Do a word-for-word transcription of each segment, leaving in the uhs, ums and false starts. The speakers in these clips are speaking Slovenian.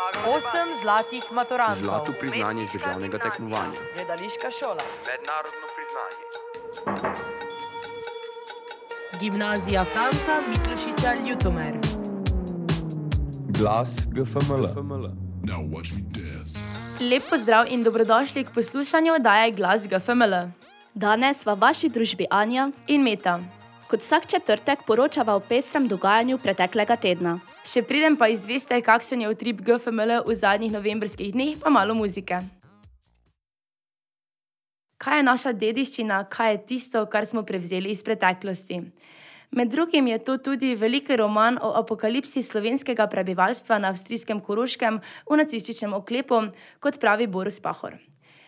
Osem zlatih maturantov. Zlato priznanje z državnega tekmovanja. Gledališka šola. Mednarodno priznanje. Gimnazija Franca Miklošiča Ljutomer. Glas G F M L. Lep pozdrav in dobrodošli k poslušanju oddaje Glas G F M L. Danes v vaši družbi Anja in Meta. Kot vsak četrtek poročava o pestrem dogajanju preteklega tedna. Še preden pa izveste, kakšen je utrip G F M L v zadnjih novembrskih dneh, pa malo muzike. Kaj je naša dediščina, kaj je tisto, kar smo prevzeli iz preteklosti? Med drugim je to tudi veliki roman o apokalipsi slovenskega prebivalstva na avstrijskem Koroškem v nacističnem oklepu, kot pravi Borut Pahor.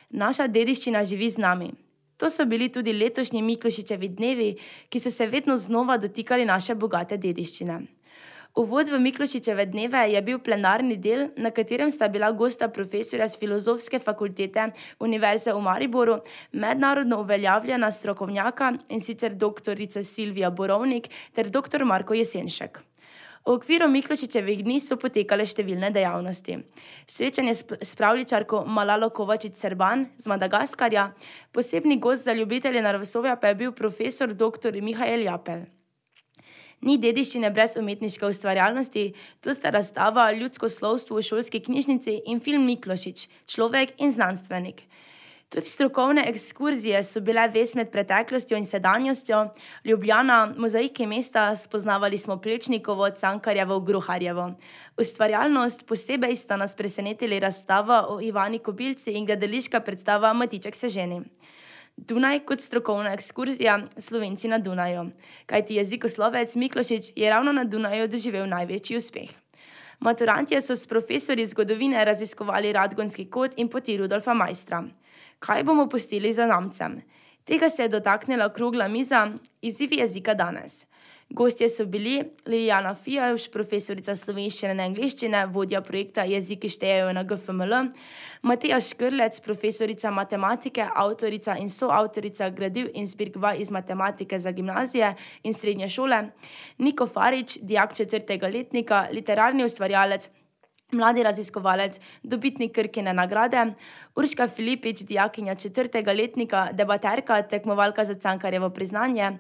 Naša dediščina živi z nami. To so bili tudi letošnji Miklošičevi dnevi, ki so se vedno znova dotikali naše bogate dediščine. Uvod v Miklošičeve dneve je bil plenarni del, na katerem sta bila gosta profesorja z Filozofske fakultete Univerze v Mariboru, mednarodno uveljavljena strokovnjaka, in sicer doktorica Silvija Borovnik ter doktor Marko Jesenšek. V okviru Miklošičevih dni so potekale številne dejavnosti. Srečanje s pravljičarko Malalo Kovačič-Serban z Madagaskarja, posebni gost za ljubitelje naravoslovja pa je bil profesor doktor Mihael Japelj. Ni dediščine brez umetniške ustvarjalnosti, to sta razstava Ljudsko slovstvo v šolski knjižnici in film Miklošič, človek in znanstvenik. Tudi strokovne ekskurzije so bile vez med preteklostjo in sedanjostjo. Ljubljana, mozaiki mesta, spoznavali smo Plečnikovo, Cankarjevo, Gruharjevo. Ustvarjalnost posebej sta nas presenetili razstava o Ivani Kobilci in gledališka predstava Matiček se ženi. Dunaj kot strokovna ekskurzija, Slovenci na Dunaju. Kajti jezikoslovec Miklošič je ravno na Dunaju doživel največji uspeh. Maturantje so s profesorji zgodovine raziskovali Radgonski kot in poti Rudolfa Maistra. Kaj bomo pustili za namcem? Tega se je dotaknila okrogla miza Izzivi jezika danes. Gostje so bili Liljana Fijavž, profesorica slovenščine in angleščine, vodja projekta Jeziki štejejo na G F M L, Mateja Škrlec, profesorica matematike, avtorica in soavtorica gradiv in zbirk vaj iz matematike za gimnazije in srednje šole, Niko Farič, dijak četrtega letnika, literarni ustvarjalec, mladi raziskovalec, dobitnik Krkine nagrade, Urška Filipič, dijakinja četrtega letnika, debaterka, tekmovalka za Cankarjevo priznanje,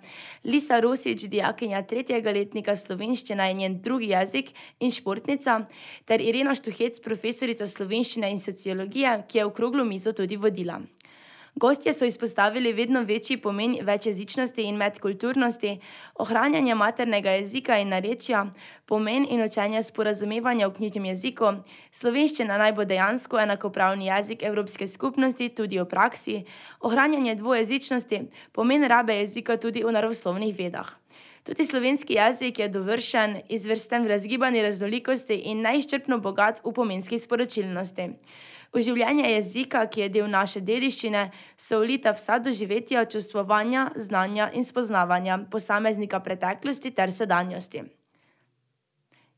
Lisa Rosič, dijakinja tretjega letnika, slovenščina in njen drugi jezik in športnica, ter Irena Štuhec, profesorica slovenščine in sociologije, ki je okroglo mizo tudi vodila. Gostje so izpostavili vedno večji pomen večjezičnosti in medkulturnosti, ohranjanje maternega jezika in narečja, pomen in učenje sporazumevanja v knjižnem jeziku, slovenščina naj bo dejansko enakopravni jezik Evropske skupnosti tudi v praksi, ohranjanje dvojezičnosti, pomen rabe jezika tudi v naravoslovnih vedah. Tudi slovenski jezik je dovršen, izvrsten v razgibani raznolikosti in neizčrpno bogat v pomenskih sporočilnosti. V življenje jezika, ki je del naše dediščine, so vlita vsa doživetja, čustvovanja, znanja in spoznavanja posameznika preteklosti ter sedanjosti.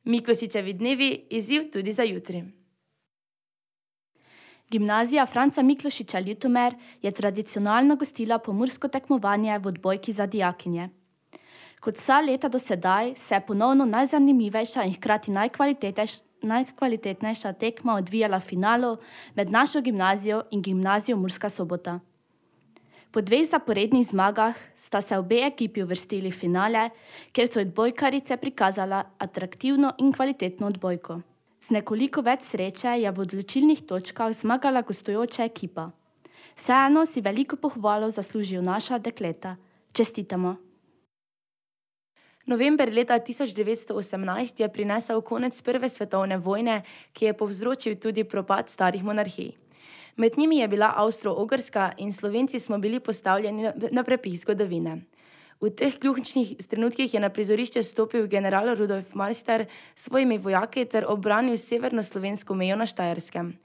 Miklošičevi dnevi, izziv tudi za jutri. Gimnazija Franca Miklošiča Ljutomer je tradicionalno gostila pomursko tekmovanje v odbojki za dijakinje. Kot vsa leta do sedaj se je ponovno najzanimivejša in hkrati najkvalitetnejša najkvalitetnejša tekma odvijala v finalu med našo gimnazijo in gimnazijo Murska Sobota. Po dveh zaporednih zmagah sta se obe ekipi uvrstili v finale, kjer so odbojkarice prikazala atraktivno in kvalitetno odbojko. Z nekoliko več sreče je v odločilnih točkah zmagala gostujoča ekipa. Vseeno si veliko pohvalo zaslužijo naša dekleta. Čestitamo! November leta tisoč devetsto osemnajst je prinesel konec prve svetovne vojne, ki je povzročil tudi propad starih monarhij. Med njimi je bila Avstro-Ogrska in Slovenci smo bili postavljeni na prepih zgodovine. V teh ključnih trenutkih je na prizorišče stopil general Rudolf Maister s svojimi vojaki ter obranil severno-slovensko mejo na Štajerskem.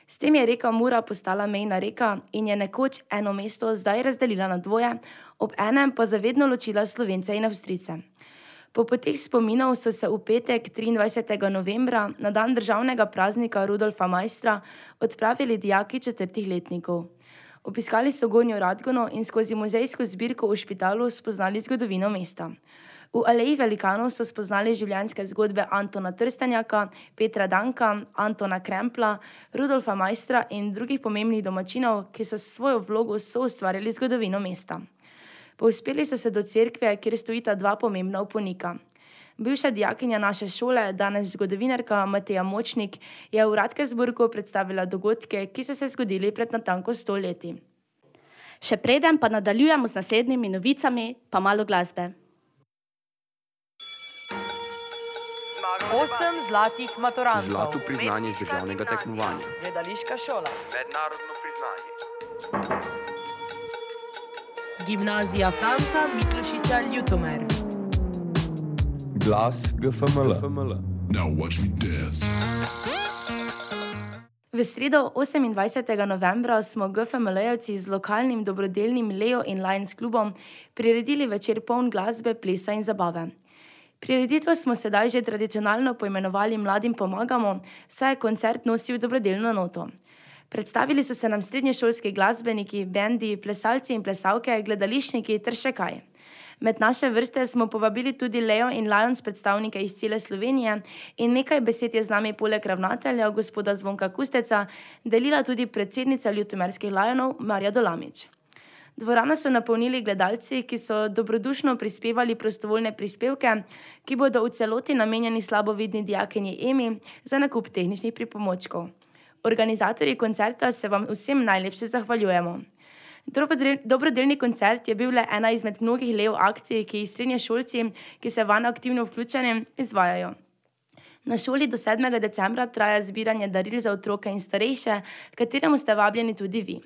S tem je reka Mura postala mejna reka in je nekoč eno mesto zdaj razdelila na dvoje, ob enem pa zavedno ločila Slovence in Avstrijce. Po poteh spominov so se v petek triindvajsetega novembra, na dan državnega praznika Rudolfa Maistra, odpravili dijaki četrtih letnikov. Obiskali so Gornjo Radgono in skozi muzejsko zbirko v Špitalu spoznali zgodovino mesta. V Aleji velikanov so spoznali življenjske zgodbe Antona Trstenjaka, Petra Danka, Antona Krempla, Rudolfa Maistra in drugih pomembnih domačinov, ki so s svojo vlogo soustvarjali zgodovino mesta. Povzpeli so se do cerkve, kjer stojita dva pomembna uponika. Bivša dijakinja naše šole, danes zgodovinarka Mateja Močnik, je v Radkersburgu predstavila dogodke, ki so se zgodili pred natanko sto leti. Še preden pa nadaljujemo z naslednjimi novicami, pa malo glasbe. Osem zlatih maturantov. Zlato priznanje z državnega tekmovanja. Gledališka šola. Mednarodno priznanje. Gimnazija Franca Miklošiča Ljutomer. Glas G F M L. Now watch me dance. V sredo osemindvajsetega novembra smo G F M L-jevci z lokalnim dobrodelnim Leo in Lions klubom priredili večer poln glasbe, plesa in zabave. Prireditev smo sedaj že tradicionalno poimenovali Mladim pomagamo, saj je koncert nosil dobrodelno noto. Predstavili so se nam srednješolski glasbeniki, bendi, plesalci in plesalke, gledališčniki ter še kaj. Med naše vrste smo povabili tudi Leo in Lions predstavnike iz cele Slovenije in nekaj besed je z nami poleg ravnatelja, gospoda Zvonka Kusteca, delila tudi predsednica ljutomerskih Lionov, Marja Dolamič. Dvorano so napolnili gledalci, ki so dobrodušno prispevali prostovoljne prispevke, ki bodo v celoti namenjeni slabovidni dijakinji Emi za nakup tehničnih pripomočkov. Organizatorji koncerta se vam vsem najlepše zahvaljujemo. Dobrodelni koncert je bil le ena izmed mnogih Leo akcij, ki jih srednješolci, ki se vanj aktivno vključeni, izvajajo. Na šoli do sedmega decembra traja zbiranje daril za otroke in starejše, kateremu ste vabljeni tudi vi.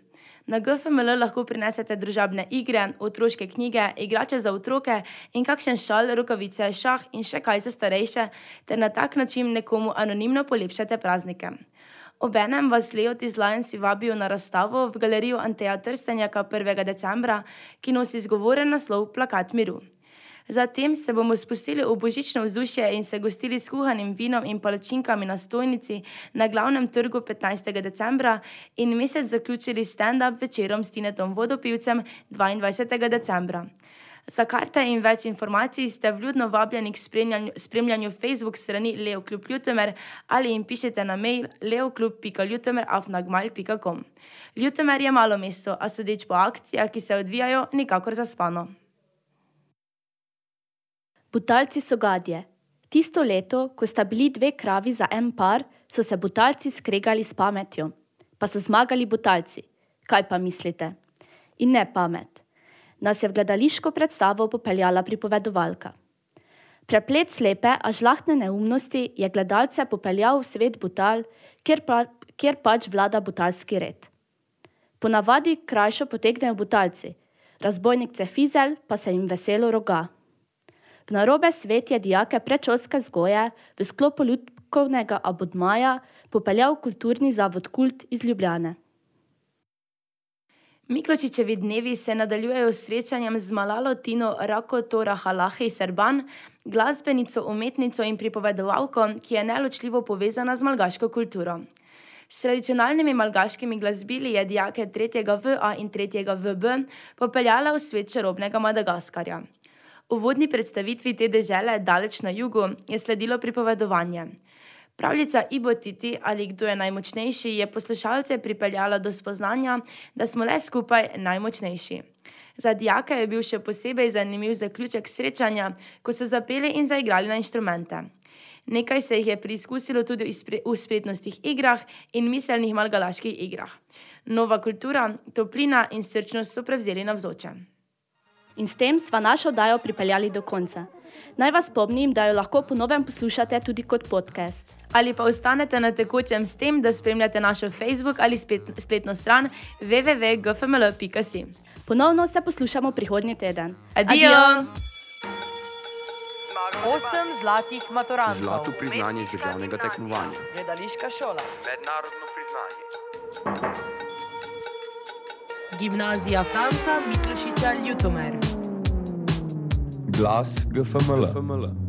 Na G F M L lahko prinesete družabne igre, otroške knjige, igrače za otroke in kakšen šal, rokavice, šah in še kaj za starejše, ter na tak način nekomu anonimno polepšate praznike. Obenem vas Leoti iz Lionsi vabijo na razstavo v galerijo Anteja Trstenjaka prvega decembra, ki nosi izgovoren naslov Plakat miru. Zatem se bomo spustili v božično vzdušje in se gostili s kuhanim vinom in palačinkami na stojnici na glavnem trgu petnajstega decembra in mesec zaključili stand-up večerom s Tinetom Vodopivcem dvaindvajsetega decembra. Za karte in več informacij ste vljudno vabljeni k spremljanju, spremljanju Facebook strani Leo klub Ljutomer ali jim pišete na mail leoklub pika ljutomer afna gmail pika com. Ljutomer je malo mesto, a sodeč po akcijah, ki se odvijajo, nikakor zaspano. Butalci so gadje. Tisto leto, ko sta bili dve kravi za en par, so se butalci skregali s pametjo. Pa so zmagali butalci. Kaj pa mislite? In ne pamet. Nas je v gledališko predstavo popeljala pripovedovalka. Preplet slepe, a žlahtne neumnosti je gledalce popeljal v svet butal, kjer, pa, kjer pač vlada butalski red. Ponavadi krajšo potegnejo butalci, razbojnik Cefizel pa se jim veselo roga. V narobe svet je dijake predšolske vzgoje v sklopu lutkovnega abonmaja popeljal kulturni zavod Kult iz Ljubljane. Miklošičevi dnevi se nadaljujejo s srečanjem z Malalo Tino Rakotorahalahi Serban, glasbenico, umetnico in pripovedovalko, ki je neločljivo povezana z malgaško kulturo. S tradicionalnimi malgaškimi glasbili je dijake tretjega V A in tretjega V B popeljala v svet čarobnega Madagaskarja. V uvodni predstavitvi te dežele daleč na jugu je sledilo pripovedovanje. Pravljica Ibo Titi ali Kdo je najmočnejši je poslušalce pripeljala do spoznanja, da smo le skupaj najmočnejši. Za dijake je bil še posebej zanimiv zaključek srečanja, ko so zapeli in zaigrali na inštrumente. Nekaj se jih je preizkusilo tudi v spretnostih igrah in miselnih malgalaških igrah. Nova kultura, toplina in srčnost so prevzeli navzoče. In s tem sva našo oddajo pripeljali do konca. Naj vas spomnim, da jo lahko po novem poslušate tudi kot podcast. Ali pa ostanete na tekočem s tem, da spremljate našo Facebook ali spletno stran w w w pika g f m l pika si. Ponovno se poslušamo prihodnji teden. Adijo! Adijo! Osem zlatih maturantov. Zlato priznanje z državnega tekmovanja. Gledališka šola. Mednarodno priznanje. Gimnazija Franca Miklošiča Ljutomer. Glas G F M L.